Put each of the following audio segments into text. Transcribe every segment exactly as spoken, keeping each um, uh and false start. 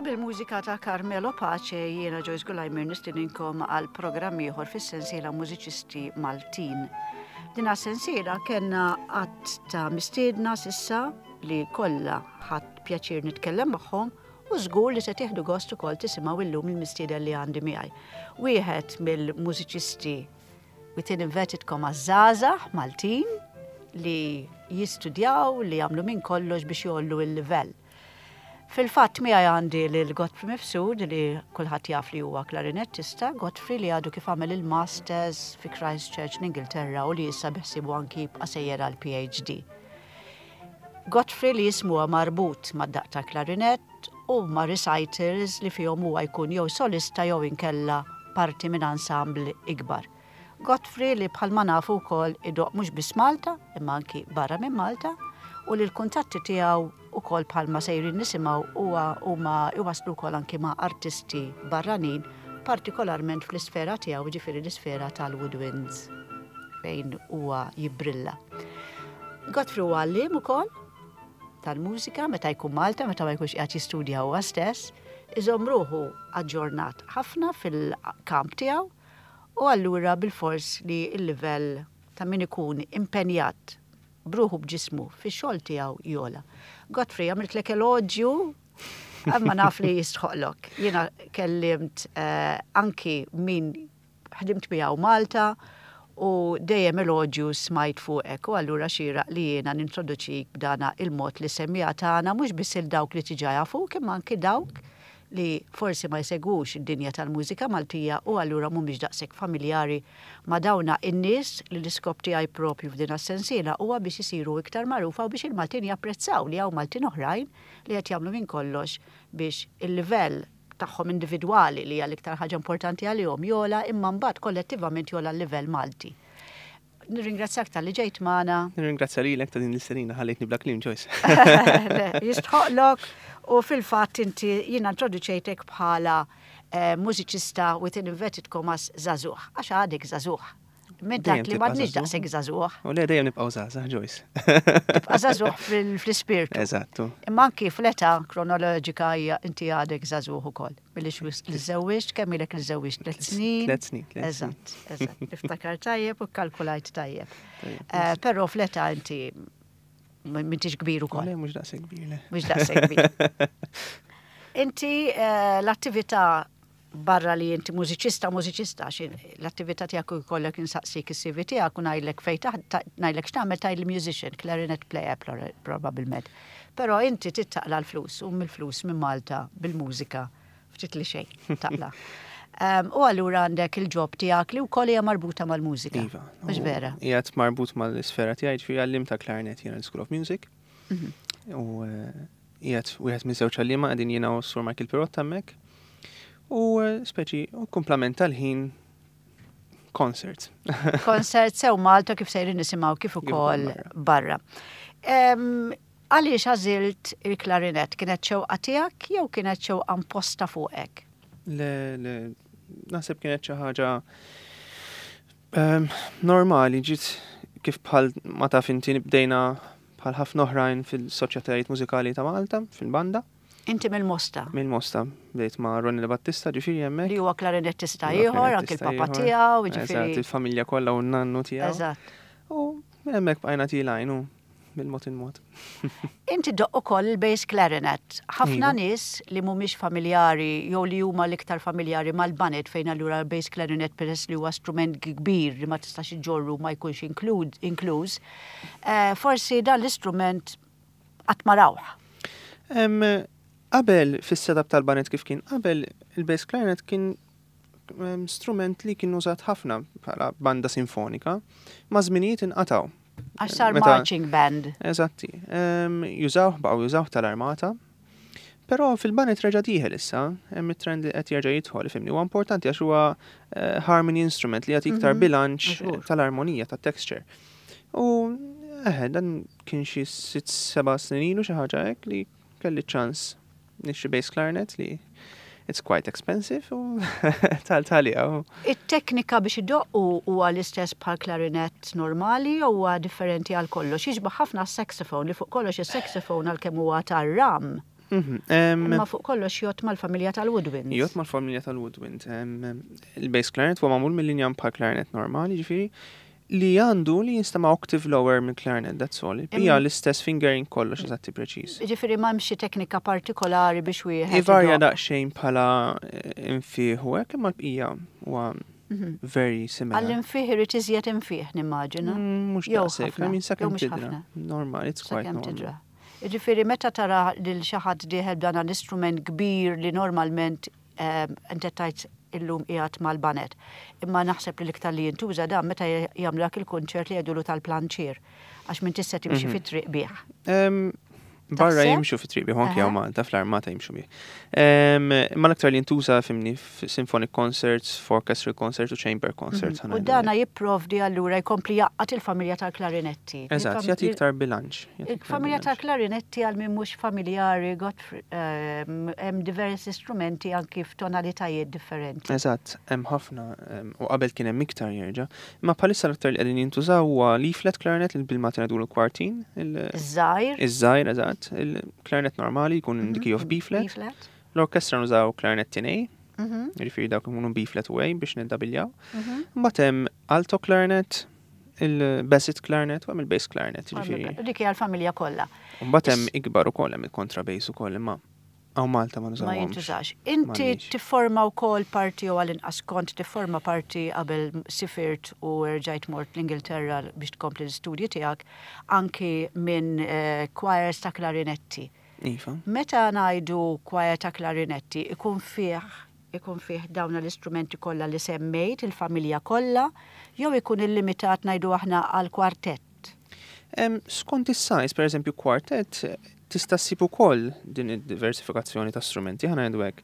Bil-mużika ta' Carmelo Pace jiena Joyce Gulajmer nistedinkom għal programm ieħor fis-sensiela Mużiċisti Maltin. Dina sensiela kellna għadd ta' mistiedna s'issa li kollha ħadt pjaċir nitkellem magħhom u żgur li se tieħdu gost ukoll tisimgħu illum il-mistieden li għandi miegħi. Wieħed mill-mużiċisti within inverted commas żgħażagħ Maltin li jistudjaw, li jagħmlu minn kollox biex jgħollu il-livell. Fil-fatt miegħi għandi lil Godfrey Mifsud, li kulħadd jaf li huwa klarinettista, Godfrey li għadu kif għamel il-Masters fi Christchurch l-Ingilterra u li issa beħsiebu anki jibqa' sejjer għal P H D. Godfrey li jismu marbut mad-daqq ta' klarinett u ma' recitals li fihom huwa jkun jew solista jew inkella parti minn ensemble ikbar. Godfrey li bħalma nafu wkoll idoqq mhux biss Malta imma anki barra minn Malta u li l-kuntatti tiegħu ukoll, bħalma sejrin nisimgħu, huwa huma iwaslu wkoll anki ma' artisti barranin, partikolarment fl-isfera tiegħu, ġifieri l-isfera tal-woodwinds fejn huwa jibbrilla. Godfrey huwa għalliem ukoll tal-mużika meta jkun Malta, meta ma jkunx qiegħed jistudja huwa stess, iżomm ruħu aġġornat ħafna fil-kamp tiegħu u allura bil-fors li l-livell ta' min ikun impenjat b'ruħu b'ġismu fix-xogħol tiegħu jogħla. Godfrey, għamiltlek eloġju, imma naf li jistħoqlok. Jiena kellimt eh, anki min ħdimt miegħu Malta u dejjem eloġju smajt fuqek u allura xieraq li jiena nintroduċik b'dana il-mod li semmija tagħna, mhux biss il dawk li diġà jafuk imma anki dawk li forsi ma jsegwux id-dinja tal-mużika Maltija u allura mhumiex daqshekk familjari ma' dawna in-nies li l-iskop tiegħi propju f'din is-sensiela huwa biex isiru iktar magħrufa u biex il-Maltin japprezzaw li hawn Maltin oħrajn li qed jagħmlu minn kollox biex il-livell tagħhom individwali, li hija l-iktar ħaġa importanti għalihom, jogħla, imma mbagħad kollettivament jogħla l-livell Malti. Nirringrazzjak talli ġejt magħna. Nirringrazzja lilek ta' din l-istedina, ħallejtni bla kliem, Joyce. Le, jistħoqlok u fil-fatt inti jiena introduċejtek bħala eh, mużiċista within inverted commas żagħżugħ, għax għadek żagħżugħ. Minn dak Dejjem li tibqa' m'għadniex żagħżugħ. daqshekk żagħżugħ, U le, dejjem nibqgħu żgħażagħ, Joyce. Tibqa' żagħżugħ fil- fl-ispirtu. Eżattu. Imma anki fl-età kronoloġika hija inti għadek żagħżugħ ukoll. Billi li żewwiġt, kemm ilek li żewwiġt? Tliet snin? Tliet snin, tliet snin. Eżatt, eżatt. Niftakar tajjeb u kalkulajt tajjeb. Tajjeb. Eh, Però fl-età inti m'intix kbir U ukoll. le, mhux daqshekk kbir, le. Mhux daqshekk kbir. Inti eh, l-attività barra li inti mużiċista, mużiċista, xi l-attività tiegħek jkollok insaqsik is-C V tiegħek u ngħidlek fejn taħ- ngħidlek x'tagħmel, tgħidli musician, clarinet player plora- probabbilment. Però inti taqla' l-flus u mill-flus minn Malta bil-mużika ftit li xejn taqla'. Um, u allura għandek il-job tiegħek li wkoll hija marbuta mal-mużika. Iva. Mhux U vera? Qiegħed marbut mal-isfera tiegħi, ġifieri għalliem ta' clarinet jiena l-School of Music. Mhm. U eh, qiegħed wieħed minn żewġ għalliema, qegħdin jiena u Sur Michael Pirotta hemmhekk. U eh, speċi u kumplament tal-ħin concert. Concert sew Malta kif sejrin nisimgħu kif ukoll ukoll barra. Em, Għaliex għażilt il-klarinet? Kienet xewqa tiegħek jew kienet xewqa imposta fuqek? Le, le, naħseb kienet xi ħaġa ehm, normali, ġiet kif bħal ma taf inti bdejna bħal ħafna oħrajn fil-soċjetajiet mużikali ta' Malta, fil-banda. Inti mill-Mosta, Mill-Mosta, bdejt ma' Ronnie Battista, ġifieri hemmhekk. Li huwa klarinettista Huwa ieħor, anke klarinettista il-papa ieħor. tiegħu, Eżatt, ġifieri. il-familja kollha u n-nannu tiegħu. Eżatt. U minn hemmhekk bqajna tilgħin u bil-mod il-mod. Inti ddoqq ukoll il-bass clarinet. Ħafna Iva. nies li mhumiex familjari jew li huma l-iktar familjari mal-baned, fejn allura l-bass clarinet, peress li huwa strument kbir li ma tistax iġorru, ma jkunx inklud- inkluż, eh, forsi dan l-istrument qatt ma rawh. Em, Qabel fis-setup tal-baned kif kien qabel, il-bass clarinet kien em, strument li kien użat ħafna bħala banda sinfonika, ma' żminijiet inqataw. Għax sar Meta- marching band. Eżatti. Em, Jużawh, baqgħu jużawh tal-armata. Però fil-baned reġa' dieħel issa, hemm it-trend li qed jerġa' jidħol, ifhimni, huwa importanti għax huwa eh, harmony instrument li jagħti iktar Mhm, bilanċ Żgur. tal-armonija, tat-texture. U eħe, dan kien xi sitt seba' snin ilu, xi ħaġa hekk, li kelli ċans nixtri bass clarinet li it's quite expensive u tal-talja. u It-teknika biex idoqqu huwa l-istess bħal klarinet normali jew huwa differenti għal kollox? Jixbaħ ħafna s-saxophone, li fuq kollox is-saxophone għalkemm huwa tar-ram. Mhm, em, Imma fuq kollox jgħodd mal-familja tal-woodwinds. Jgħodd mal-familja tal-woodwind. Em, Il-bass clarinet huwa magħmul mill-injam bħal clarinet normali, ġifieri, li għandu li jinstama octave lower minn clarinet, that's all. Hija l-istess fingering kollox eżatti preċiż. Ġifieri m'hemmx xi teknika partikolari biex wieħed. Ivarja idoqq. daqsxejn bħala eh, infieħ u hekk, imma l-bqija huwa Mhm. very similar. Għall-infieħ irid iżjed infieħ nimmaġina. Mm, Mhux Jew daqshekk, ħafna, I mean jew sakemm mhux tidra. ħafna. Normal, it's quite Sakemm normal. tidra. Ġifieri meta tara lil xi ħadd dieħel b'dan l-istrument kbir li normalment ehm, inti tajt illum qiegħed mal-baned. Imma naħseb li l-iktar li jintuża dan meta jagħmlu dak il-kunċert li jgħidulu tal-planċier għax minn tista' timxi Mhm. fit-triq bih. Em, Barra Taħseb? jimxu fi triq bih, anki Aha. hawn Malta, fl-armata jimxu bih. Em, Imma l-aktar li jintuża fimni symphonic concerts, orchestral concerts u chamber concerts. Mhm. U dana jipprovdi allura jkompli jgħaqqad il-familja tal-klarinetti. Eżatt, Il-fam- jagħti iktar bilanċ. jagħti iktar Il-familja bilanċ. tal-klarinetti għal min mhux familjari Godfrey, ehm, hemm diversi strumenti anki f'tonalitajiet differenti. Eżatt, hemm ħafna, em, u qabel kien hemm iktar jerġa'. Imma bħalissa l-aktar li qegħdin jintużaw huwa l-E-flat clarinet li bil-Malti ngħidulu kwartin, il- Iż-żgħir. iż-żgħir eżatt, il-clarinet normali jkun in the key of B-flat. B-flat. L-orkestra nużaw clarinet in A, Mhm, jiġifieri dawk ikunu B-flat u A biex niddabiljaw. mhm. Mbagħad hemm alto clarinet, il-basset clarinet u hemm il-bass clarinet, jiġifieri. Dik hija l-familja kollha. U mbagħad hemm ikbar ukoll hemm il-contrabass ukoll imma hawn Malta ma Ma nużawhomx. jintużax. Inti M'għandniex. tifforma wkoll parti jew għal-inqas kont tifforma parti qabel sifirt u rġajt mort l-Ingilterra biex tkompli l-istudji tiegħek anki minn eh, choirs ta' klarinetti. Iva. Meta ngħidu choir ta' klarinetti ikun fih ikun fih dawn l-istrumenti kollha li semmejt, il-familja kollha, jew ikun illimitat ngħidu aħna għal kwartett. Em, Skont is-size, per eżempju, kwartet, tista' ssib ukoll din id-diversifikazzjoni ta' strumenti, ħa ngħidu hekk.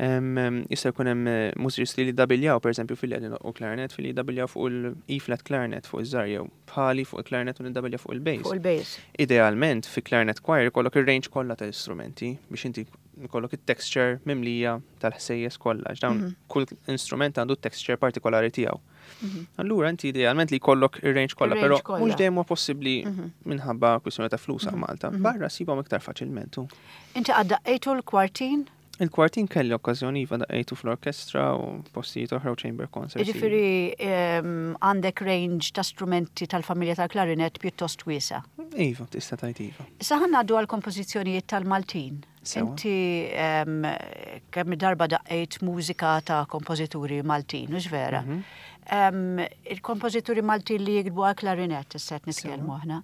Em, em, Jista' jkun hemm eh, mużiċisti li dabiljaw, per eżempju, fil qegħdin u clarinet, fil dabiljaw fuq il-E-flat clarinet fuq iż-żgħar jew bħali fuq il-clarinet u niddabilja fuq il-bass. Fuq il-bass. Idealment, fi clarinet choir ikollok ir-range kollha tal-istrumenti biex inti ikollok it-texture mimlija tal-ħsejjes kollha. għax Dawn Mhm. kull instrument għandu texture partikolari tiegħu. Mhm. Allura inti idealment li jkollok ir-range kollha, Ir-range però kollha. mhux dejjem huwa possibbli Mhm. minħabba kwistjoni ta' flus għal Mhm. Malta. Mhm. Barra sibhom iktar faċilment. u. Inti qatt daqqejtu l-kwartin? Il-kwartin kelli okkażjoni iva daqqejtu fl-orkestra u postijiet oħra u chamber concerts. Ġifieri em, għandek range ta' strumenti tal-familja tal-klarinet pjuttost wiesa. Iva, tista' tgħid iva. Issa ħa ngħaddu għal kompożizzjonijiet tal-Maltin. Sewa. Inti em, kemm darba daqqejt mużika ta' kompożituri Maltin, mhux vera? Mhm. Em, Il-kompożituri Maltin li jiktbu għal klarinet, issa qed nitkellmu aħna.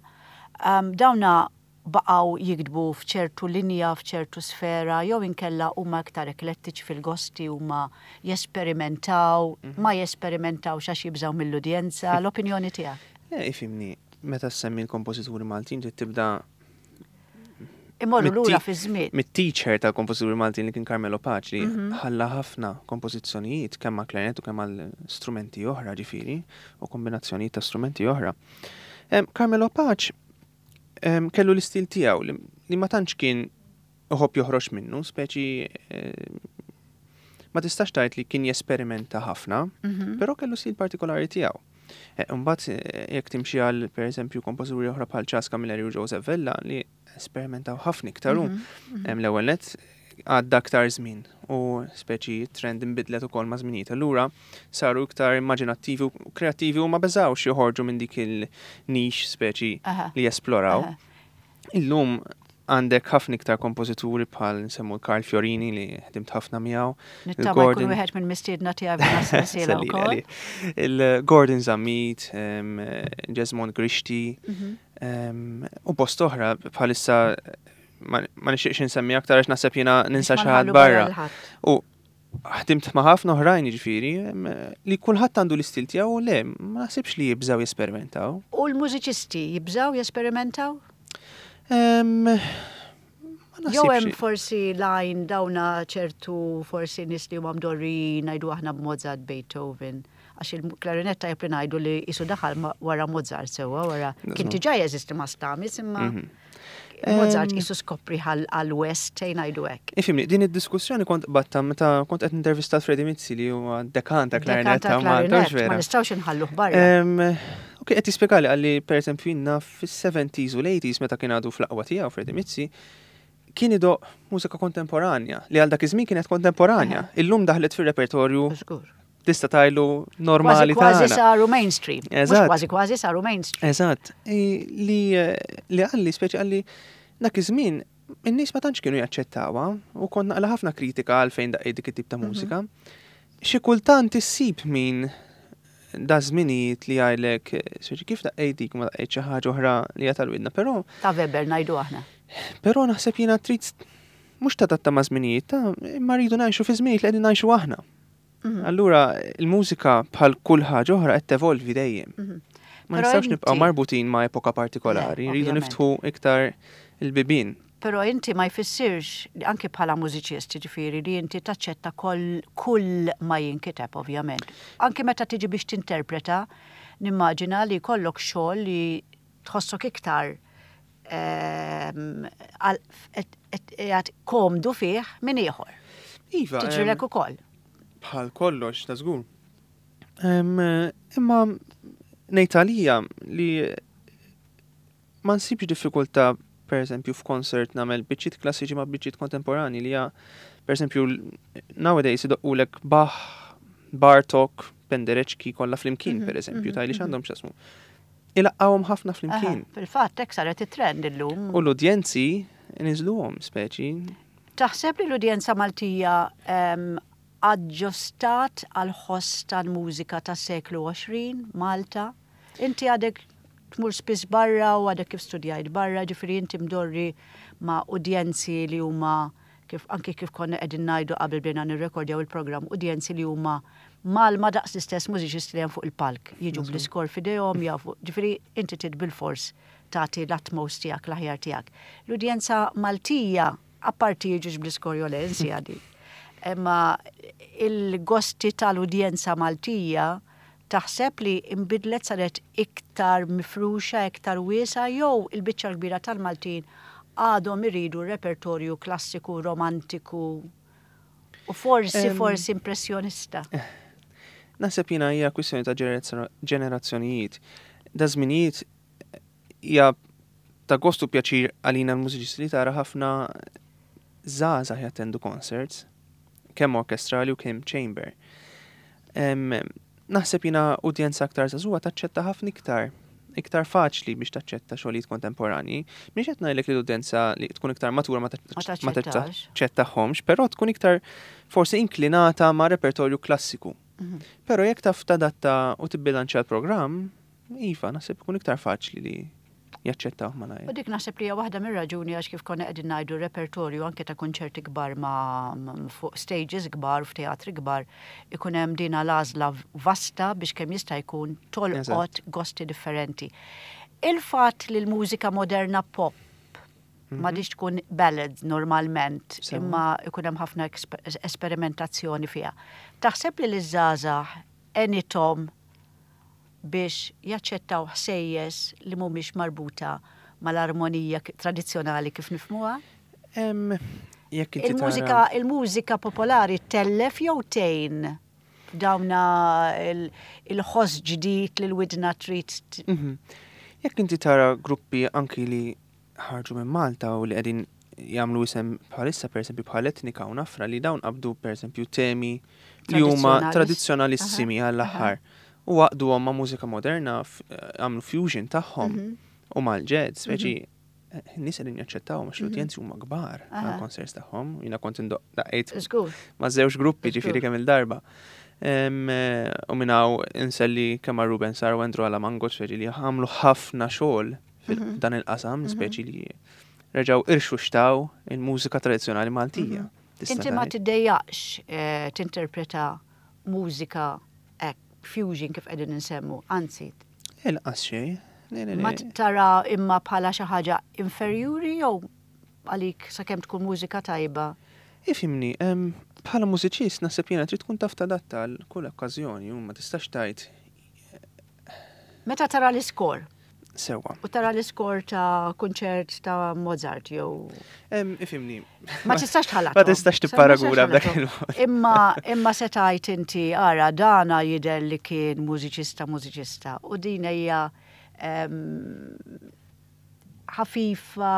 Em, Dawna baqgħu jiktbu f'ċertu linja, f'ċertu sfera, jew inkella huma iktar eklettiċi fil-gosti, huma jesperimentaw, ma jesperimentaw għax jibżaw mill-udjenza, l-opinjoni tiegħek. Eh, ifhimni, meta semmi l-kompożituri Maltin trid tibda Imorru lura Mit-ti- fi żmien. mit-teacher tal-kompożituri Maltin li kien Carmelo Pace li Mhm. ħalla ħafna kompożizzjonijiet kemm ma' klarinet u kemm għal strumenti oħra ġifieri u kombinazzjonijiet ta' strumenti oħra. Em, Carmelo Pace em, kellu l-istil tiegħu li, li ma tantx kien iħobb joħroġ minnu, speċi eh, ma tistax tgħid li kien jesperimenta ħafna, Mhm. però kellu stil partikolari tiegħu. Eh, Mbagħad eh, jekk timxi għal pereżempju kompożituri oħra bħal Charles Camilleri u Joseph Vella li esperimentaw ħafna iktar u Mhm, mhm. Hemm l-ewwel nett għadda aktar żmien u speċi trend inbidlet ukoll ma' żminijiet. Allura saru iktar immaġinattivi u kreattivi u ma beżawx joħorġu minn dik il-niche speċi Aha, li jesploraw. aha. Illum għandek ħafna iktar kompożituri bħal nsemmu Carl Fiorini li ħdimt ħafna miegħu. Nittama jkun Gordon- wieħed minn mistiedna tiegħek f'din is-sensiela Sellili wkoll. għalih. Il-Gordon Zammit, em, Jesmond Grixti, Mhm. em, u bost oħra bħalissa ma ma nixtieqx insemmi aktar għax naħseb jiena ninsa Biex ma xi ħadd nħallu barra. lil ħadd. U ħdimt ma' ħafna oħrajn jiġifieri em, li kulħadd għandu l-istil tiegħu u le, ma naħsibx li jibżaw jesperimentaw. U l-mużiċisti jibżaw jesperimentaw? Em, ma Jew hemm naħsibx. forsi line dawna ċertu forsi nies li huma mdorrijin ngħidu aħna b'Mozart, Beethoven. Għax il-klarinetta jepri ngħidu li qisu daħal ma- wara Mozart sewwa wara kien diġà jeżisti ma' Stamitz imma Mhm. Mozart Em, qisu skopri għal-West tgħid ngħidu hekk. Ifhimni, din id-diskussjoni kont batta meta kont qed intervista Freddie Mizzi li huwa dekan ta' Dekan klarinet ta' ta' Malta, klarinet, mhux vera. ma nistgħux inħalluh barra. Em, Ok, qed jispjegali għalli per eżempju jiena fis-seventies u l-eighties meta kien għadu fl-aqwa tiegħu Freddie Mizzi, kien idoqq mużika kontemporanja, li għal dak iż-żmien kienet kontemporanja. Illum daħlet fir-repertorju Żgur. tista' tgħidlu normali Kważi tagħna. saru mainstream. Mhux Eżatt. Kważi kważi saru mainstream. Eżatt. I- Li li qalli speċi qalli dak iż-żmien in-nies ma tantx kienu jaċċettawha u kont naqla ħafna kritika għalfejn daqqejt dik it-tip ta' mużika. Xi kultant issib min da żminijiet li jgħidlek speċi kif daqqejt dik ma daqqejt xi ħaġa oħra li hija tal-widna, però Ta' Weber ngħidu aħna. però naħseb jiena trid mhux tadatta ma' żminijiet, ta' imma rridu ngħixu fi żminijiet li qegħdin ngħixu aħna. Allura il-mużika bħal kull ħaġa oħra qed tevolvi dejjem. Ma Però nistgħux nibqgħu inti- marbutin ma' epoka partikolari, Le, rridu ovvjament. niftħu iktar il-bibien. Però inti ma jfissirx, li anki bħala mużiċist, ġifieri li inti taċċetta kull, kull ma jinkiteb, ovvjament. Anki meta tiġi biex tinterpreta, nimmaġina li jkollok xogħol li tħossok iktar ehm, għal- qed- qed- qiegħed komdu fih minn ieħor. Iva, em, Tiġrilek ukoll. bħal kollox, ta' żgur. Em, Imma ngħid għalija li ma nsibx diffikultà per eżempju f'koncert nagħmel biċċiet klassiċi ma' biċċiet kontemporani li hija per eżempju nowadays idoqqulek Bach, Bartok, Penderecki kollha flimkien per eżempju, tgħidli x'għandhom x'jaqsmu. Ilaqqawhom ħafna flimkien. Aha, Fil-fatt, hekk saret it-trend illum. U l-udjenzi niżluhom speċi. Taħseb li l-udjenza Maltija em, aġġustat għal ħoss tal-mużika tas-seklu għoxrin, Malta? Inti għadek tmur spiss barra u għadek kif studjajt barra, ġifieri inti mdorri ma' udjenzi li huma kif anki kif konna qegħdin ngħidu qabel bdejna nirrekordjaw il-programm, udjenzi li huma mal ma daqs l-istess mużiċisti li hemm fuq il-palk, jiġu bl-iskor f'idejhom jafu, ġifieri inti trid bil-fors tagħti l-utmost tiegħek, l-aħjar tiegħek. L-udjenza Maltija, apparti jiġux bl-iskor jew le, insi għadi. Imma il-gosti tal-udjenza Maltija taħseb li imbidlet saret iktar mifruxa, iktar wiesa, jew il-biċċa kbira tal-Maltin għadhom iridu repertorju klassiku, romantiku u forsi, Em, forsi impressjonista. Naħseb jiena hija kwistjoni ta' ġenerazzo- ġenerazzjonijiet. Da żminijiet hija ta' gostu pjaċir għalina l-mużiċisti li tara ħafna żgħażagħ jattendu concerts, kemm orkestrali u kemm chamber. Em, Naħseb jiena udjenza aktar żagħżugħa taċċetta ħafna iktar iktar faċli biex taċċetta xogħlijiet kontemporani. Mhix qed ngħidlek li l-udjenza li tkun iktar matura ma Ma taċ- ma taċċettax. taċċettahomx, però tkun iktar forsi inklinata ma' repertorju klassiku. Mhm. Però jekk taf tadatta u tibbilanċja l-programm, iva, naħseb ikun iktar faċli li jaċċettaw malajr. U dik naħseb li hija waħda mir-raġuni għax kif konna qegħdin ngħidu repertorju anke ta' konċerti kbar ma' ma' fuq stages kbar, f'teatri kbar, ikun hemm dina l-għażla vasta biex kemm jista' jkun tolqot Eżatt. gosti differenti. Il-fatt li l-mużika moderna pop m'għadhiex tkun ballad normalment, Sewa. imma ikun hemm ħafna eksper- esperimentazzjoni fiha. Taħseb li l-żgħażagħ għenithom biex jaċċettaw ħsejjes li mhumiex marbuta mal-armonija k- tradizzjonali kif nifhmuha? Em, Jekk inti Il-mużika tara- il-mużika popolari tellef jew tgħin dawna il- il-ħoss ġdid li l-widna trid t- Mhm. Jekk inti tara gruppi anki li ħarġu minn Malta u li qegħdin jagħmlu isem bħalissa pereżempju bħal Etnika u Nafra li dawn qabdu pereżempju temi li huma Tradizzjonalis- tradizzjonalissimi għall-aħħar. U għaqduhom ma' mużika moderna, f- għamlu fusion tagħhom Mhm. u mal-jazz, speċi n-nies qegħdin jaċċettaw għax l-udjenzi huma kbar Aha. għall-concerts tagħhom. Jiena kont indoq daqqejt Żgur. ma' żewġ gruppi Żgur. ġifieri kemm il-darba. Em, eh, U minn hawn inselli kemm għal Ruben Sar u Andrew Alamango speċi li għamlu ħafna xogħol fil-dan il-qasam, speċi li reġgħu irxuxtaw il-mużika tradizzjonali Maltija. Tista' Inti ma tgħid. tiddejjaqx eh, tinterpreta mużika hekk, fusion kif qegħdin insemmu, anzi, Lanqas xejn. Le, le, ma le. tara imma bħala xi ħaġa inferjuri jew għalik sakemm tkun mużika tajba. Ifhimni, em, bħala mużiċist naħseb jiena trid tkun taf tadatta għal kull okkażjoni u ma tistax tgħid Meta tara l-iskor, sewwa. u tara l-iskor ta' kunċert ta' Mozart jew Em, Ifhimni. Ma tistax tħallathom. Ma tistax tipparaguna b'dak il-mod. Imma imma se tgħid inti ara dana jidher li kien mużiċista mużiċista u din hija em, ħafifa,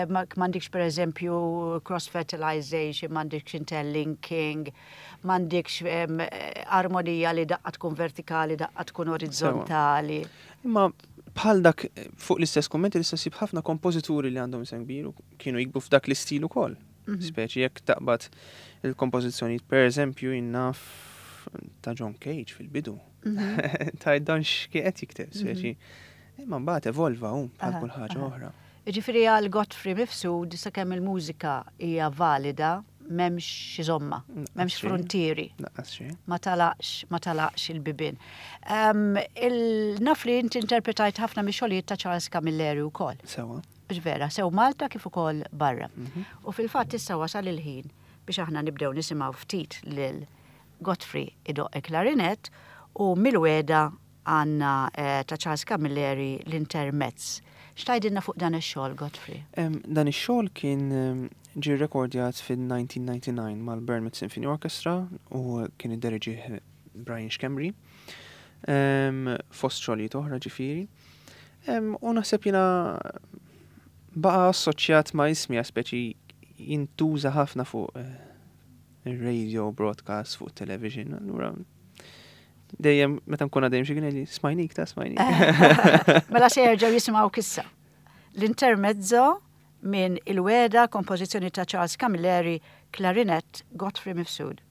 m'għandikx per eżempju cross-fertilization, m'għandikx interlinking, m'għandikx armonija li daqqa tkun vertikali, daqqa tkun orizzontali. Imma bħal dak fuq l-istess kummenti li ssib ħafna kompożituri li għandhom isem kbir u kienu jiktbu f'dak l-istil ukoll. Mhm. Speċi jekk taqbad il-kompożizzjoni, per eżempju, jinnaf ta' John Cage fil-bidu. Mhm. Ta' dan x'qiegħed jikteb, speċi. Mhm. Imma mbagħad evolva hu bħal kull ħaġa oħra. Jiġifieri għal Godfrey Mifsud sakemm il-mużika hija valida m'hemmx xi żomma, m'hemmx frontieri. Ma talaqx, ma talaqx il-bibien. Naf li inti interpretajt ħafna mix-xogħlijiet ta' Charles Camilleri wkoll. Sewa. Biex vera, sew Malta kif ukoll barra. Mhm. U fil-fatt issa wasal il-ħin biex aħna nibdew nisimgħu ftit lil Godfrey idoqq il-klarinett u mill-weda għandna eh, ta' Charles Camilleri l-intermezz. X'tgħidilna fuq dan ix-xogħol, Godfrey? Dan ix-xogħol kien ġie rekordjat fil-elf disa' mija u disgħa u disgħin mal-Bournemouth Symphony Orchestra u kien idderiġih Brian Schembri. Fost xogħlijiet oħra ġifieri. U naħseb jiena baqa' assoċjat ma' ismi, speċi jintuża ħafna fuq eh, il-radio broadcast, fuq television, allura dejjem meta nkun għaddejjem xi kien li smajnik ta' smajnik. Mela se jerġgħu jisimgħu issa. L-intermezzo minn Il-Wegħda, kompożizzjoni ta' Charles Camilleri, klarinett Godfrey Mifsud.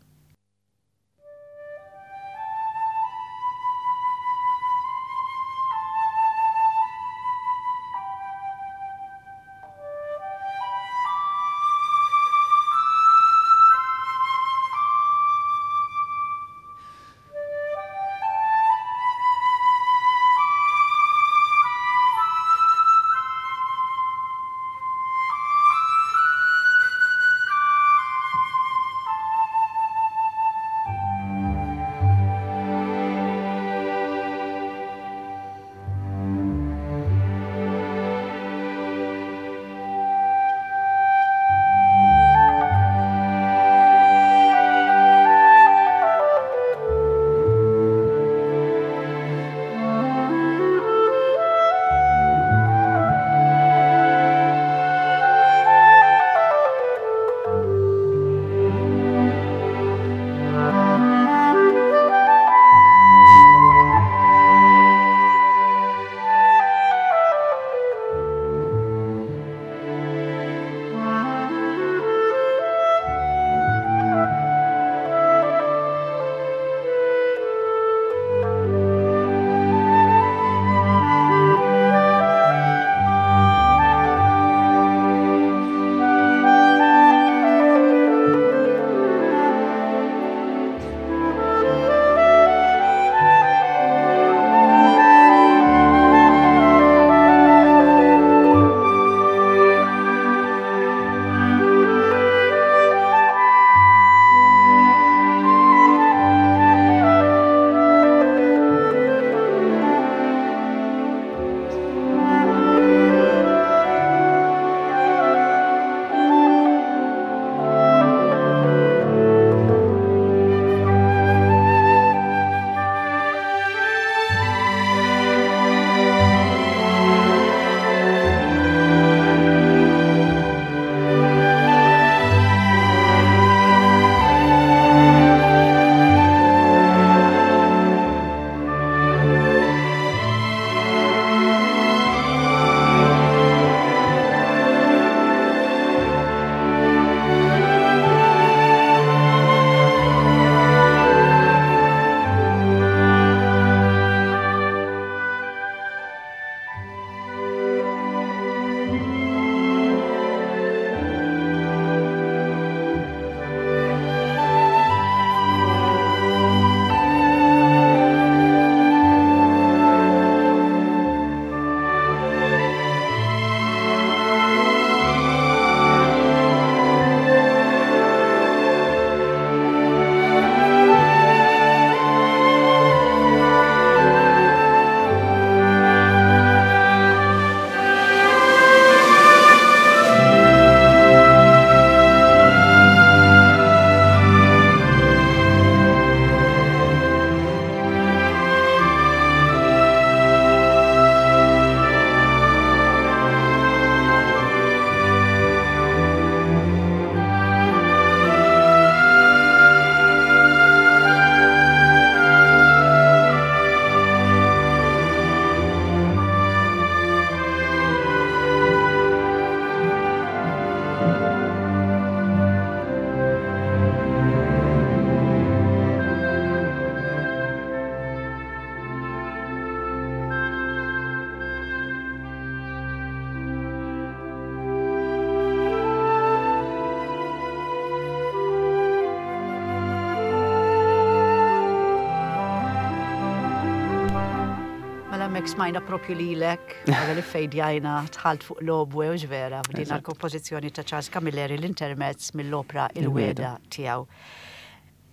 Hawnhekk smajna propju lilek, qabel iffejdjajna dħalt fuq l-oboe u vera, b'din l-kompożizzjoni ta' Charles Camilleri, l-intermezz mill-opra Il-Wegħda tiegħu.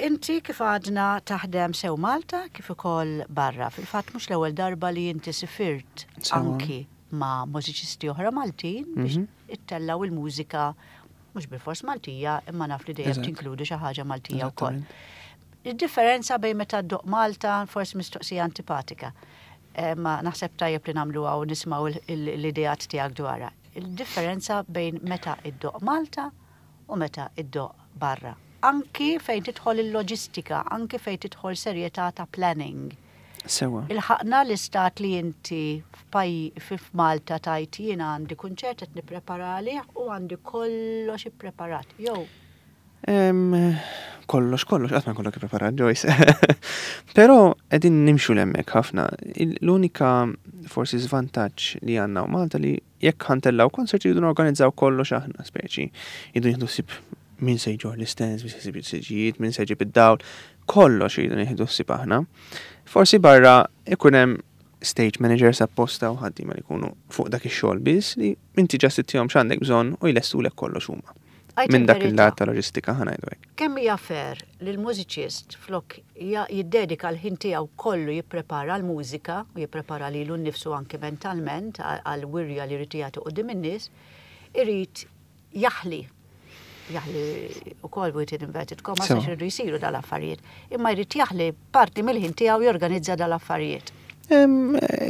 Inti, kif għadna, taħdem sew Malta kif ukoll barra. Fil-fatt mhux l-ewwel darba li inti sifirt anki ma' mużiċisti oħra Maltin biex mhm. ittellaw il-mużika mhux bil-fors Maltija, imma naf li dejjem tinkludi xi ħaġa Maltija wkoll. Il-differenza bejn meta ddoqq Malta, forsi mistoqsija antipatika, Eh, ma naħseb tajjeb li nagħmlu u nismaw l-ideat tiegħek dwarha. Il-differenza bejn meta iddoqq Malta u meta iddoqq barra. Anki fejn tidħol il-loġistika, anki fejn tidħol serjetà ta' planning. Sewa. Ilħaqna l-istat li inti f'Malta tgħid, "Jiena għandi kunċert qed nipprepara u għandi kollox ippreparat." Jew Kollox, kollox, qatt ma jkollok ippreparat, Joyce. Però qegħdin nimxu 'l hemmhekk ħafna. L-unika forsi żvantaġġ li għandna Malta li jekk ħa ntellgħu concert jridu organizzaw kollox aħna, speċi. Jridu nieħdu ħsieb min se jġorr l-istands, min se jġib siġġijiet, min se jġib id-dawl, kollox jridu nieħdu ħsieb aħna. Forsi barra ikun hemm stage managers apposta u ħaddiema li jkunu fuq dak ix-xogħol biss, li inti just ittihom x'għandek bżonn u jlestulek kollox huma. Minn dak il-lat ta' loġistika, ħa ngħidu hekk. Kemm hija fair li l-mużiċist, flok jiddedika l-ħin tiegħu kollu jipprepara l-mużika u jipprepara lilu nnifsu anke mentalment għal wirja li jrid jagħti quddiem in-nies, irid jaħli jaħli ukoll with inverted commas għax iridu jsiru dal-affarijiet. Imma jrid jaħli parti mill-ħin tiegħu jorganizza dal-affarijiet.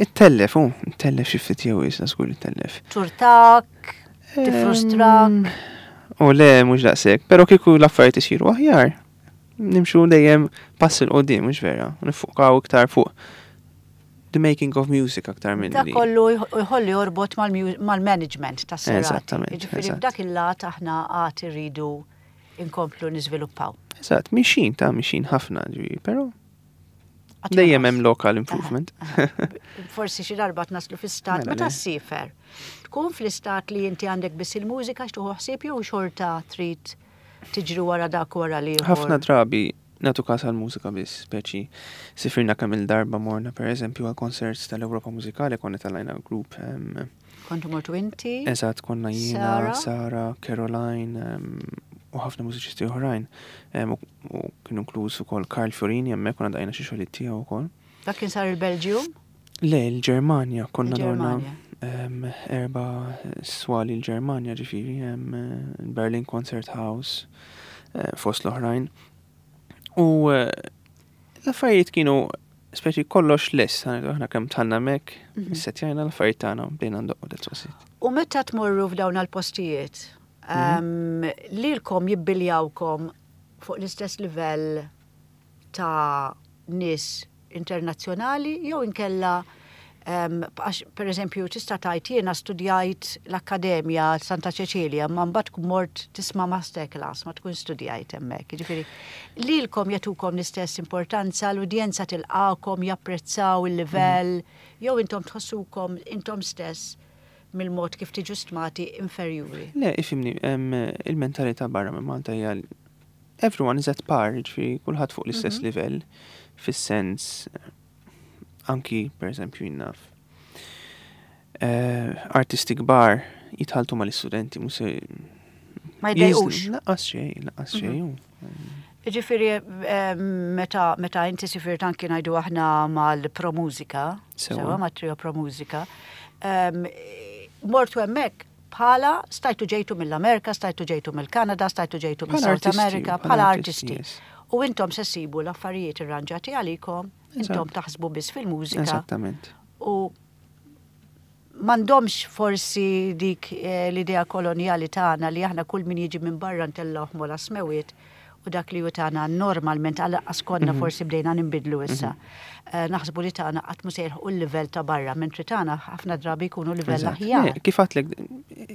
Ittellef, u, ittellef xi ftit jew jisna żgur ittellef. Turtak, tifrustrak. U le, mhux daqshekk, però kieku l-affarijiet isiru aħjar, nimxu dejjem pass 'il quddiem, mhux vera, nifukaw iktar fuq the making of music aktar minn. Dak kollu jħolli jorbot mal-management tas serata. Eżattament. Jiġifieri f'dak il-lat aħna għad irridu inkomplu niżviluppaw. Eżatt, mixin ta' mixin ħafna ġifieri, però dejjem hemm lok għal improvement. Forsi xi darba naslu fi stat Mela meta le. ssiefer. Tkun fl-istat li inti għandek biss il-mużika x'tieħu ħsieb jew xorta trid tiġri wara dak, wara li Ħafna drabi nagħtu kas għal-mużika biss, speċi sifirna kemm il-darba morna, per eżempju, għal concerts tal-Ewropa Mużikali, konna tellajna grupp. em, Kontu mortu inti? Eżatt, konna jiena, Sara? Sara, Caroline em, u ħafna mużiċisti oħrajn. Em, U u kienu inkluż ukoll Carl Fiorini hemmhekk, konna daqqejna xi xogħlijiet tiegħu wkoll. Dak kien sar il-Belġium? Le, il-Ġermanja, konna dorna Il-Ġermanja. em, erba swali l-Ġermanja ġifieri, em, Berlin Concert House, eh, fost l-oħrajn. U eh, l-affarijiet kienu speċi kollox lest, aħna kemm dħalna hemmhekk, Mhm. issettjajna l-affarijiet tagħna u bdejna ndoqqu, that's was it. U meta tmorru f'dawn għal-postijiet, Mhm. um, lilkom jibbiljawkom fuq l-istess livell ta' nies internazzjonali jew inkella um, għax, per eżempju, tista' tgħid, "Jiena studjajt l-Akkademja Santa Ċeċilja," ma mbagħad tkun mort tisma' masterclass, ma tkun studjajt hemmhekk. Jiġifieri lilkom jagħtukom l-istess importanza, l-udjenza tilqakom, japprezzaw il-livell, jew intom tħossukom intom stess mill-mod kif tiġu stmati inferjuri? Le, ifhimni, em, il-mentalità barra minn Malta hija everyone is at par, ġifieri kulħadd fuq l-istess Mhm. livell, fis-sens anki per eżempju jien naf Eh, artisti kbar jitħalltu mal-istudenti, mhux se Ma jdejqux. Lanqas xejn, lanqas xejn. Ġifieri, eh, meta, meta inti sifirt anki, ngħidu aħna, mal-Pro Musica, Sewa. sewa ma' Trio Pro Musica, em, mortu hemmhekk bħala stajtu ġejtu mill-Amerika, stajtu ġejtu mill-Kanada, stajtu ġejtu Bħala mill-South artisti, America, bħala bħala artisti, artisti. yes. U intom se ssibu l-affarijiet irranġati għalikom, intom Eżatt. taħsbu biss fil-mużika. Eżattament. U m'għandhomx forsi dik eh, l-idea koloniali tagħna li aħna kull min jiġi minn barra ntellgħuh m'ogħla smewwiet u dak li hu tagħna normalment, għal konna Mhm. forsi bdejna nimbidlu issa. Eh, Naħsbu li tagħna qatt mhu se jilħqu l-livell ta' barra, mentri tagħna ħafna drabi jkunu livell Eżatt. aħjar. Le, kif għedtlek,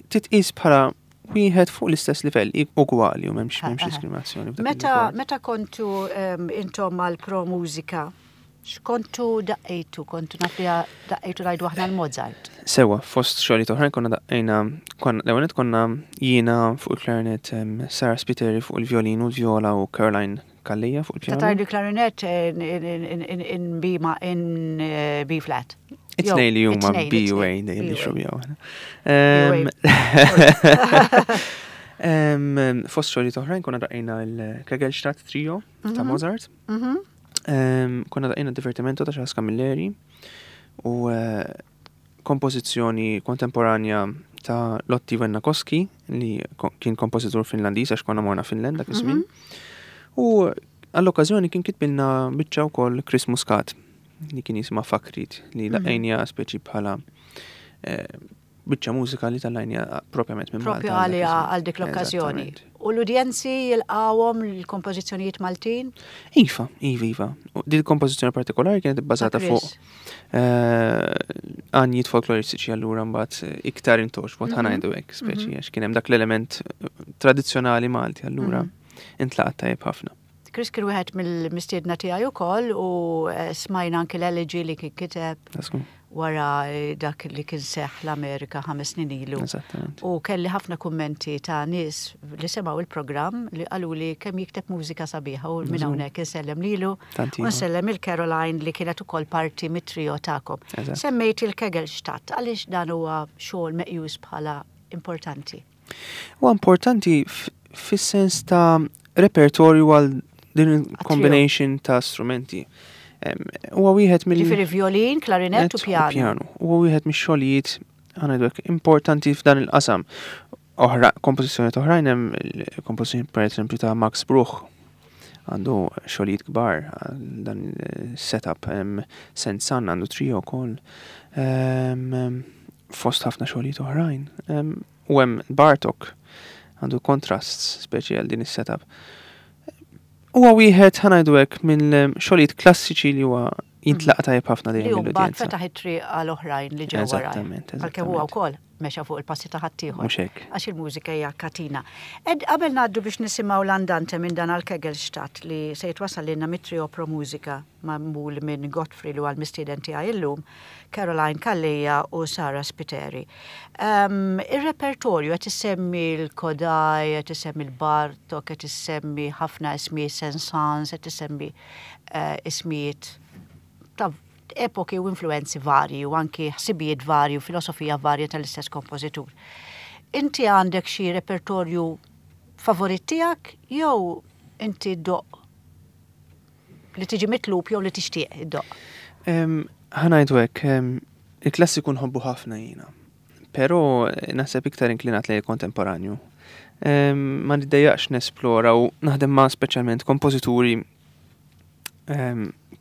titqis bħala wieħed fuq l-istess livell, ugwali u m'hemmx m'hemmx Aha. diskriminazzjoni f'dak Meta il-rigward. meta kontu em, intom mal Pro Musica, x'kontu daqqejtu? Kontu naf li daqqejtu, ngħidu aħna, l-Mozart. Sewa, fost xogħlijiet oħrajn konna daqqejna, konna l-ewwel konna jiena fuq il-clarinet, em, Sarah Spiteri fuq il-violin u l-viola u Caroline Calleja fuq Ta' il-piano. tajdu clarinet in, in, in, in, in B ma in eh, B flat. It-tnejn li huma B U A dejjem nixxubjaw. Fost xogħlijiet oħrajn konna daqqejna l-Kegelstadt Trio ta' mhm. Mozart. Mhm. Konna daqqejna Divertimento ta' Charles Camilleri u eh, kompożizzjoni kontemporanja ta' Lotti Wennakoski li kien kompożitur Finlandiż, għax konna morna Finland dak iż-żmien. Mhm. U għall-okkażjoni kien kitbilna biċċa wkoll Chris Muscat li kien jisimha Fakrit, li mhm. daqqejnieha speċi bħala eh, biċċa mużika li tellajnieha propjament minn Propju għalija għal dik l-okkażjoni. U l-udjenzi jilqawhom l-kompożizzjonijiet Maltin? Iva, iva, iva. Din il-kompożizzjoni partikolari kienet bbażata fuq eh, għanjiet folkloristiċi, allura mbagħad iktar intgħoġbot, ħa ngħidu hekk, speċi mhm. għax kien hemm dak l-element tradizzjonali Malti, allura mhm. intlaqat tajjeb ħafna. Chris kien wieħed mill-mistiedna tiegħi wkoll u eh, smajna anki l-elegy li kien kiteb wara eh, dak li kien seħ l-Amerika ħames snin ilu. U kelli ħafna kummenti ta' nies li semgħu il-programm li qalu li kemm jikteb mużika sabiħa, u minn hawnhekk insellem lilu u nsellem il-Caroline li kienet ukoll parti mit-trio tagħkom. Semmejt il-Kegelstadt, għaliex dan huwa xogħol meqjus bħala importanti? Huwa importanti fis-sens ta' repertorju għal din combination ta' strumenti. Huwa wieħed mill Ġifieri violin, klarinett u pjano. Pjano. Huwa wieħed mix-xogħlijiet, ħa ngħidu, importanti f'dan il-qasam. Oħra, kompożizzjoni oħrajn hemm kompożizzjoni per eżempju ta' Max Bruch, għandu xogħlijiet kbar dan il-setup, hemm Saint-Saëns għandu trio wkoll. Fost ħafna xogħlijiet oħrajn. U hemm Bartok għandu contrasts speċi għal din is-setup. Huwa wieħed, ħa ngħidu hekk, minn xogħlijiet klassiċi li huwa jintlaqa tajjeb ħafna dejjem. Li mbagħad fetaħ it-triq għal oħrajn li ġew wara. Għalkemm huwa wkoll mexa fuq il-passi ta' ħaddieħor. Mhux hekk. Għax il-mużika hija katina. Ed qabel ngħaddu biex nisimgħu l-Andante minn dan għal-Kegelstadt li se jitwassal lilna mit-trio Pro Musica magħmul minn Godfrey, li huwa l-mistieden tiegħi illum, Caroline Calleja u Sara Spiteri. Um, il-repertorju qed issemmi l-Kodály, qed issemmi l-Bartok, qed issemmi ħafna ismijiet, Saint-Saëns, qed issemmi uh, ismijiet ta' epoki u influenzi varji u anki ħsibijiet varji u filosofija varja tal-istess kompożitur. Inti għandek xi repertorju favorit tiegħek jew inti ddoqq li tiġi mitlub jew li tixtieq iddoqq? Ħa ngħidu hekk, il-klassiku nħobbu ħafna jiena, però naħseb iktar inklinat lejn kontemporanju. Ma niddejjaqx nesplora u naħdem ma' speċjalment kompożituri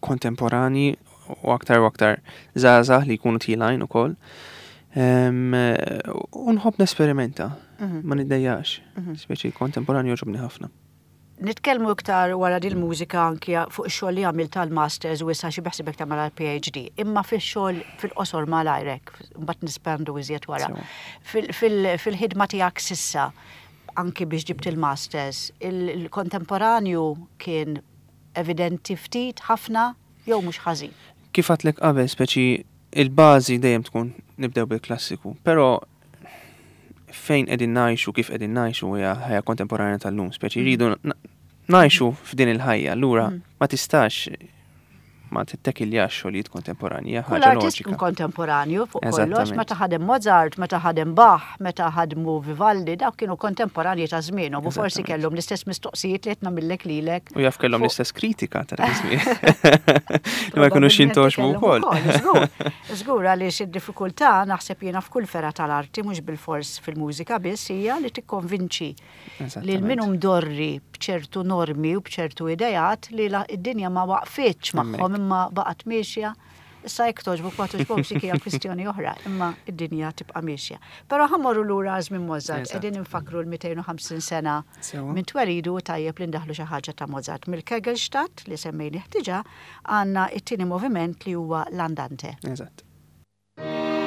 kontemporani u aktar u aktar żgħażagħ li jkunu telgħin ukoll. U nħobb nesperimenta, mhm. ma niddejjaqx, mhm. speċi kontemporanju jogħġobni ħafna. Nitkellmu iktar wara dil mużika anki fuq ix-xogħol li għamil tal-masters u issa xi beħsibek tagħmel għall-P H D. Imma fix-xogħol fil-qosor malajrek, mbagħad nispendu iżjed wara. Fil-ħidma tiegħek s'issa, anki biex ġibt il-masters, il-kontemporanju kien evidenti ftit, ħafna, jew mhux ħażin? Kif għedtlek qabel, speċi il-bażi dejjem tkun nibdew bil-klassiku, però fejn qegħdin ngħixu, kif qegħdin ngħixu, hija ħajja kontemporanja tal-lum, speċi rridu ngħixu f'din il-ħajja, allura mm. ma tistax ma tittekiljax xogħlijiet kontemporanji, ħaġa loġika. Kontemporanju fuq kollox, meta ħadem Mozart, meta ħadem Bach, meta ħadmu Vivaldi, dawk kienu kontemporanji ta' żmienhom u forsi kellhom l-istess mistoqsijiet li qed nagħmillek lilek. U jaf kellhom l-istess kritika ta' żmien. Li ma jkunux jintgħoġbu wkoll. Żgur, għaliex id-diffikultà naħseb jiena f'kull fergħa tal-arti, mhux bil-fors fil-mużika biss, hija li tikkonvinċi li min hu mdorri bċertu normi u bċertu idejat li id-dinja ma waqfitx magħhom imma baqgħet miexja. Issa jekk togħġbok ma togħġbokx, dik hija kwistjoni oħra, imma id-dinja tibqa' miexja. Però ħa mmorru lura żmien Mozart, qegħdin infakru l-mitejn u ħamsin sena minn twelidu, tajjeb li ndaħlu xi ħaġa ta' Mozart. Mill-Kegelstadt li semmejni ħtiġa għandna it-tieni moviment li huwa l-Andante. Eżatt. Thank you.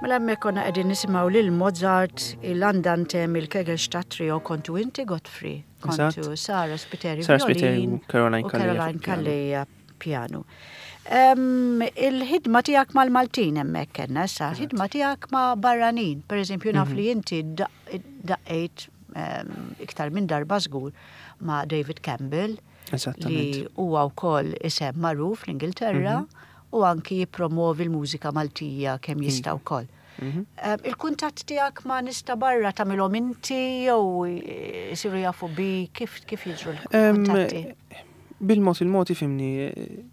Mela hemmhekk konna qegħdin nisimgħu lil Mozart, il-Andante mill-Kegelstatt Trio, kontu inti Godfrey, kontu Sara Spiteri Sara Spiteri violin u Caroline u Calleja Caroline fuq piano. Calleja piano. Em, Il-ħidma tiegħek mal-Maltin hemmhekk kellna issa, il-ħidma tiegħek ma' barranin, per eżempju naf li inti daq- daqqejt em, iktar minn darba żgur ma' David Campbell li Eżattament. huwa wkoll isem magħruf l-Ingilterra u anki jippromovi l-mużika Maltija kemm jista' wkoll. Mhm. Em, Il-kuntatt tiegħek ma' nies ta' barra tagħmilhom inti jew isiru jafu bi kif kif jiġru Em, l-kuntatti? Bil-mod il-mod, ifhimni, eh,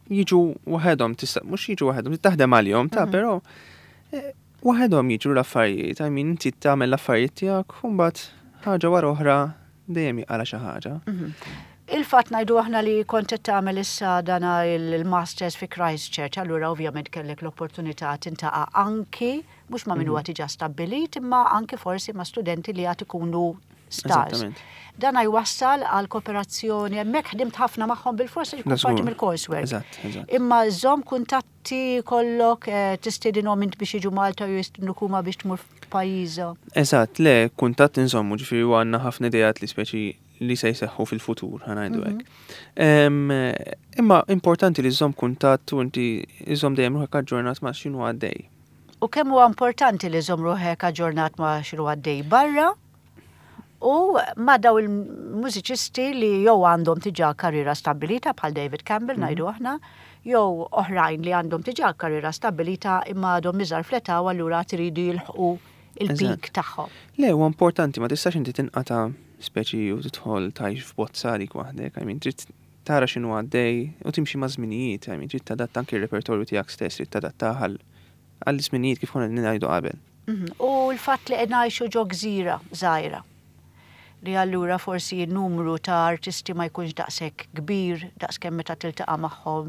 jiġu waħedhom, tista' mhux jiġu waħedhom, taħdem għalihom, ta' però eh, waħedhom jiġu l-affarijiet, I mean, inti tagħmel l-affarijiet tiegħek u mbagħad ħaġa wara oħra dejjem jaqala xi ħaġa. Il-fatt ngħidu aħna li kont qed tagħmel issa dana il-Masters fi Christchurch, allura ovvjament kellek l-opportunità tintaqa' anki mhux ma' min huwa diġà stabbilit, imma anki forsi ma' studenti li għad ikunu stars. Eżattament. Dan jwassal għal kooperazzjoni, hemmhekk ħdimt ħafna magħhom bil-forsi jkun Da parti żgur. mill-coursework. Eżatt, eżatt. Imma żomm kuntatti kollok, eh, tistedinhom int biex jiġu Malta u jistednuk huma biex tmur f'pajjiżhom. Eżatt, le, kuntatt inżommu, ġifieri u għandna ħafna idejat li speċi li se jseħħu fil-futur, ħa ngħidu hekk. Em, Imma importanti li żżomm kuntatt u inti żżomm dejjem ruħek aġġornat ma' x'inhu għaddej. U kemm huwa importanti li żomm ruħek aġġornat ma' x'inhu għaddej barra u ma' daw il-mużiċisti li jew għandhom diġà karriera stabbilita bħal David Campbell ngħidu aħna, jew oħrajn li għandhom diġà karriera stabbilita imma għadhom iżgħar fl-età u allura tridu jilħqu il-peak tagħhom. Le, huwa importanti, ma tistax inti tinqata speċi u tidħol tgħix f'bozza għalik waħdek, I mean, trid tara x'inhu għaddej u timxi ma' żminijiet, I mean, trid tadatta anki r-repertorju tiegħek stess, trid tadatta għal għall-żminijiet kif konna ngħidu qabel. Mhm. U l-fatt li qed ngħixu ġo gżira żgħira li allura forsi n-numru ta' artisti ma jkunx daqshekk kbir daqskemm meta tiltaqa' magħhom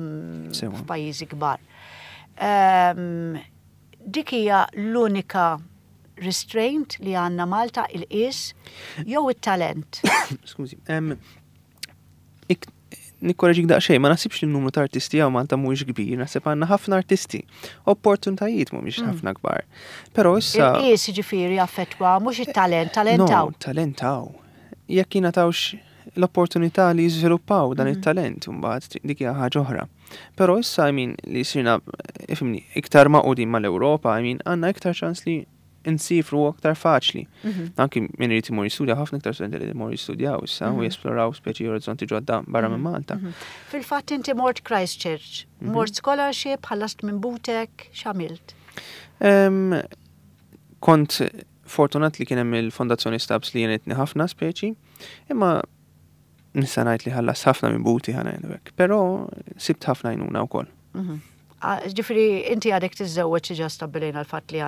Sewa. f'pajjiżi kbar. Ehm, dik hija l-unika restraint li għandna Malta, il-qis jew it-talent? Skużi, em, ik- nikkoreġik daqsxejn, ma naħsibx li n-numru ta' artisti hawn Malta mhuwiex kbir, naħseb għandna ħafna artisti. Opportunitajiet mhumiex ħafna kbar. Però issa Il-qis ġifieri affettwa mhux it-talent, talent No, hawn. talent hawn. Jekk jingħatawx l-opportunità li jiżviluppaw dan it-talent, mbagħad dik hija ħaġa oħra. Però issa, I mean, li sirna, ifhimni, iktar magħqudin mal-Ewropa, I mean, għandna iktar ċans li nsifru aktar faċli. Anki min irid imur jistudja, ħafna iktar studenti li imur jistudjaw issa u jesploraw speċi orizzonti ġodda barra minn Malta. Fil-fatt inti mort Christchurch, mort scholarship, ħallast minn butek, x'għamilt? Em, Kont fortunat li kien hemm il-Fondazzjoni Stabs li għenitni ħafna speċi, imma nista' ngħid li ħallas ħafna minn buti, ħa ngħidu hekk, però sibt ħafna għajnuna wkoll. Ah, Ġifieri, inti għadek tiżżewweġ, ġa stabbilejna l-fatt li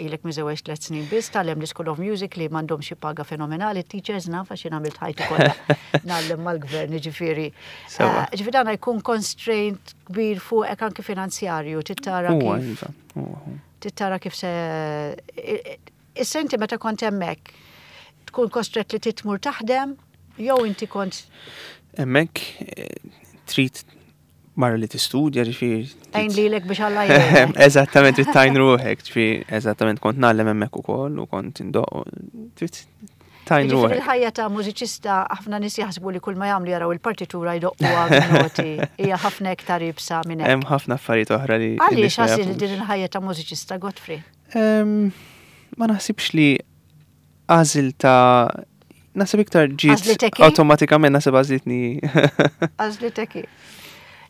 ilek miżewweġ tliet snin biss, tgħallem l-School of Music li m'għandhomx xi paga fenomenali, teachers naf għax jien għamilt ħajti kollha ngħallem mal-gvern, ġifieri. Sewa. Ah, Ġifieri dan jkun constraint kbir fuqek anki finanzjarju, tittara Huwa kif iva, huwa huwa. tittara kif se. Issa inti meta kont hemmhekk tkun kostret li titmur taħdem jew inti kont Hemmhekk eh, trid barra li tistudja, ġifieri. għajn lilek biex Alla jgħinek? Eżattament, trid tgħin ruħek, ġifieri, eżattament kont ngħallem hemmhekk ukoll u kont indoq, trid tgħin Ġifieri ruħek. il-ħajja ta' mużiċista, ħafna nies jaħsbu li kull ma jagħmlu jaraw il-partitura, jdoqquha noti, hija ħafna iktar iebsa minn hekk. Hemm ħafna affarijiet oħra li Għaliex n-nies ma għażil jafux. din il-ħajja ta' mużiċista, Godfrey? Em, Ma naħsibx li għażil ta' naħseb iktar ġiet Għażlitek hi? awtomatikament, naħseb għażlitni. Għażlitek hi.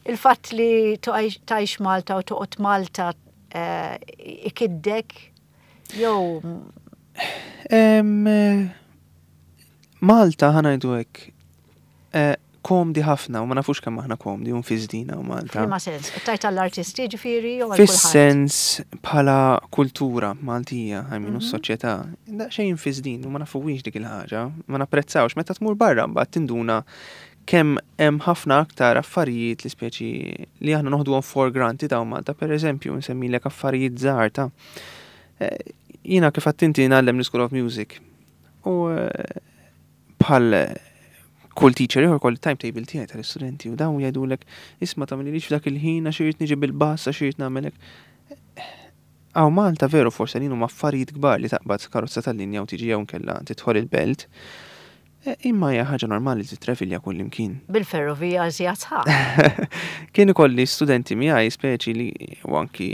Il-fatt li tgħix Malta u toqgħod Malta eh, ikiddek jew Em, eh, Malta, ħa ngħidu hekk, eh, komdi ħafna u ma nafux kemm aħna komdi u nfiżdina u Malta. F'liema sens? Tajt għall-artisti ġifieri jew għal kulħadd? Fis-sens bħala kultura Maltija, I mean, u s-soċjetà, xejn infiżdin u ma nafuwix dik il-ħaġa, ma napprezzawx. Meta tmur barra mbagħad tinduna kemm hemm ħafna aktar affarijiet li speċi li aħna noħduhom for granted hawn Malta, per eżempju, nsemmilek affarijiet żgħar ta' eh, jiena kif għedt inti ngħallem l-School of Music. U eh, bħal kull teacher ieħor kolli timetable tiegħi tal-istudenti u dawn jgħidulek, "Isma', tagħmilix f'dak il-ħin għax irid niġi bil-bus, għax irid nagħmelek." Hawn Malta veru forse li huma affarijiet kbar li taqbad karozza tal-linja u tiġi jew nkella tidħol il-belt. E, imma hija ħaġa normali li titravilja kull imkien. Bil-ferrovija żjat sħab. Kien ikolli studenti miegħi speċi li u anki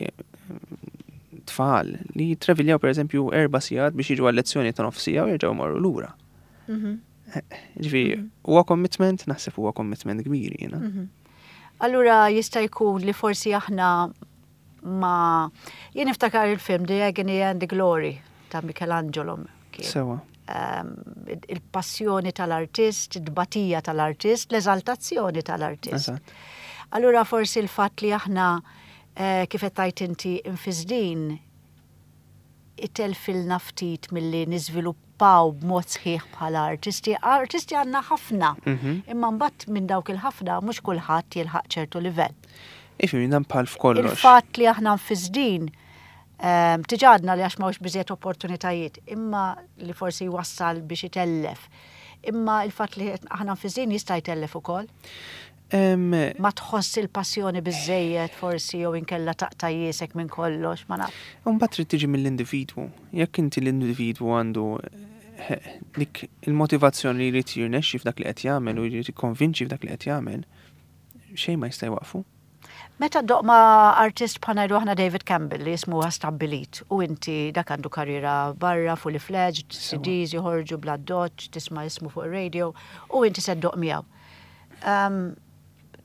tfal li jitraviljaw per eżempju erba' sigħat biex jiġu għal-lezzjoni ta' nofsija u jerġgħu marru lura. Mhm. Ġifieri, huwa commitment, naħseb huwa commitment kbir jiena. Mhm. Allura jista' jkun li forsi aħna ma jien niftakar il-film The Agony and the Glory ta' Michelangelo kien. Sewa. Um, il-passjoni tal-artist, id-batija tal-artist, l-eżaltazzjoni tal-artist. Eżatt. Allura forsi il-fatt li aħna eh, kif qed tgħid inti infisdin itellfilna ftit milli niżviluppaw b'mod sħiħ bħala artisti. Artisti għandna ħafna, Mhm. imma mbagħad minn dawk il-ħafna mhux kulħadd jilħaq ċertu livell. Ifhem dan bħal f'kollox. Il-fatt li aħna nfisdin um, tiġadna li għax m'hawnx biżejjed opportunitajiet, imma li forsi jwassal biex itellef. Imma il-fatt li aħna nfisdin jista' jtellef ukoll. Em, Ma tħoss il-passjoni biżejjed forsi jew inkella taqta' jiesek minn kollox, ma naf. Mbagħad trid tiġi mill-individwu. Jekk inti l-individwu għandu eh, dik il-motivazzjoni li jrid jirnexxi f'dak li qed jagħmel u jrid jikkonvinċi f'dak li qed jagħmel, xejn ma jista' jwaqfu. Meta ddoqq ma' artist bħal ngħidu aħna David Campbell li jismu stabbilit u inti dak għandu karriera barra, fully fledged, C Ds joħorġu bla doċ, tisma' ismu fuq radio u inti se ddoqq miegħu. Um,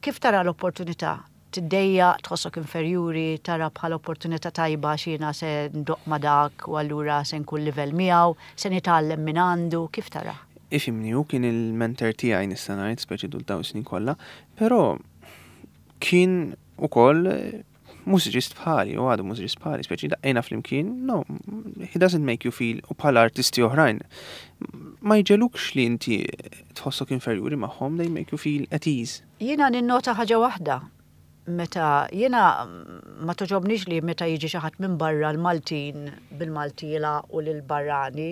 kif tara l-opportunità? Tiddejjaq, tħossok inferjuri, tara bħala opportunità tajba xina se ndoqq ma' dak u allura se nkun livell miegħu, se nitgħallem minn għandu, kif tara? Ifhimni, hu kien il-mentor tiegħi nista' ngħid speċi dul dawn snin kollha, però kien ukoll eh, mużiċist bħali, u għadu mużiċist bħali, speċi daqqejna flimkien, no, he doesn't make you feel, u bħala artisti oħrajn, ma jġegħlukx li inti tħossok inferjuri magħhom, they make you feel at ease. Jiena ninnota ħaġa waħda. Meta jiena ma togħġobnix li meta jiġi xi ħadd minn barra l-Maltin bil-Malti u lil-barrani,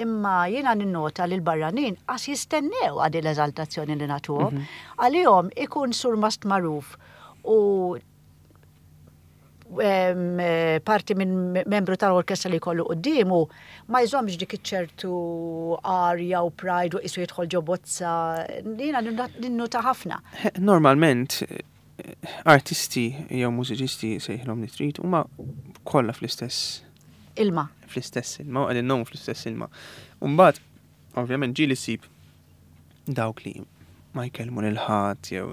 imma jiena ninnota li l-barranin qas jistennew għadi l-eżaltazzjoni li nagħtuhom. Għalihom ikun surmast magħruf u em, eh, parti minn membru tal-orkestra li jkollu quddiemu ma jżommx dik iċ-ċertu arja u pride u qisu jidħol ġo bozza. Jiena ninnota ħafna. Normalment, eh, artisti jew mużiċisti sejħilhom li trid huma kollha fl-istess Ilma. Fl-istess ilma, u qegħdin ngħumu fl-istess ilma. Umbagħad, ovvjament ġieli ssib dawk li ma jkellmu lil ħadd jew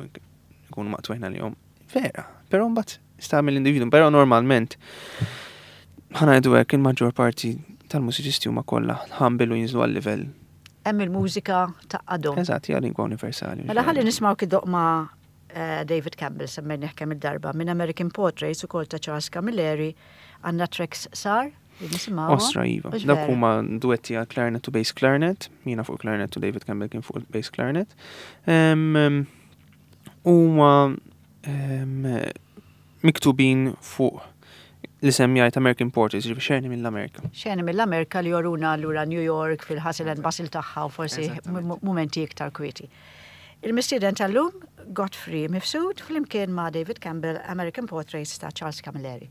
ikunu maqtugħin għalihom. Vera, però mbagħad sta mill-individu, però normalment ħa ngħidu hekk, il-maġġor parti tal-mużiċisti huma kollha humble u jinżlu għal-livell. Hemm il-mużika tgħaqqadhom. Eżatt, hija lingwa universali. Mela ħalli nismaw kif iddoqq ma' eh, David Campbell, semmejnih kemm il-darba, minn American Portraits ukoll ta' Charles Camilleri, għandna tracks sar li nisimgħu. Ostra, iva. Mhux Dawk vera? huma duetti għal clarinet u bass clarinet, jiena fuq clarinet u David Campbell kien fuq bass clarinet. Em, em, Huma em, miktubin fuq l-isem jgħid American Portraits, ġifieri xeni mill-Amerika. Xeni mill-Amerika li joruna allura New York fil-hustle and bustle tagħha u forsi Eżattament. m- momenti iktar kwieti. Il-mistieden tal-lum, Godfrey Mifsud, flimkien ma' David Campbell, American Portraits ta' Charles Camilleri.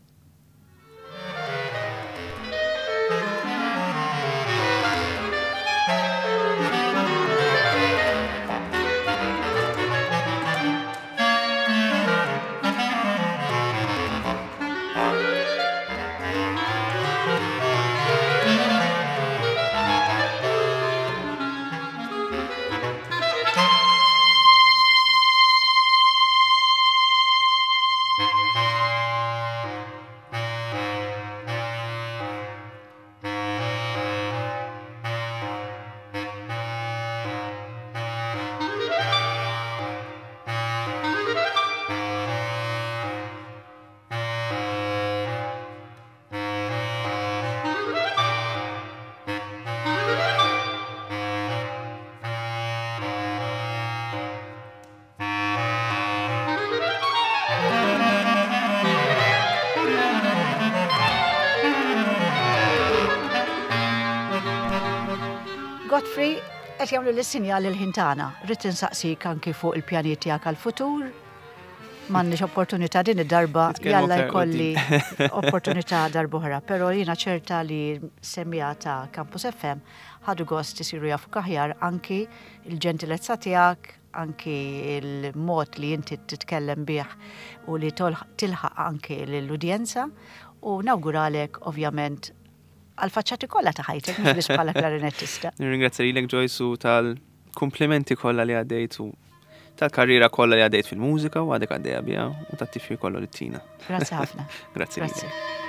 Godfrey, qed jagħmlu l-sinjal il-ħin tagħna. Rrid insaqsik anki fuq il-pjanijiet tiegħek għall-futur. M'għandniex opportunità din id-darba, jalla jkolli opportunità darb'oħra, però jiena ċerta li semmiegħa ta' Campus F M ħadu gost isiru jafu aħjar anki il-ġentilezza tiegħek, anki il-mod li inti titkellem bih u li tilħaq anki l-udjenza, u nawguralek ovvjament għal-faċċati kollha ta' ħajtek, mhux biss bħala klarinettista. Nirringrazzja lilek, Joyce, u tal-komplimenti kollha li għaddejt u tal-karriera kollha li għaddejt fil-mużika u għadek għaddejja biha u tat-tifħir kollu li ttina. Grazzi ħafna. Grazzi. Grazzi.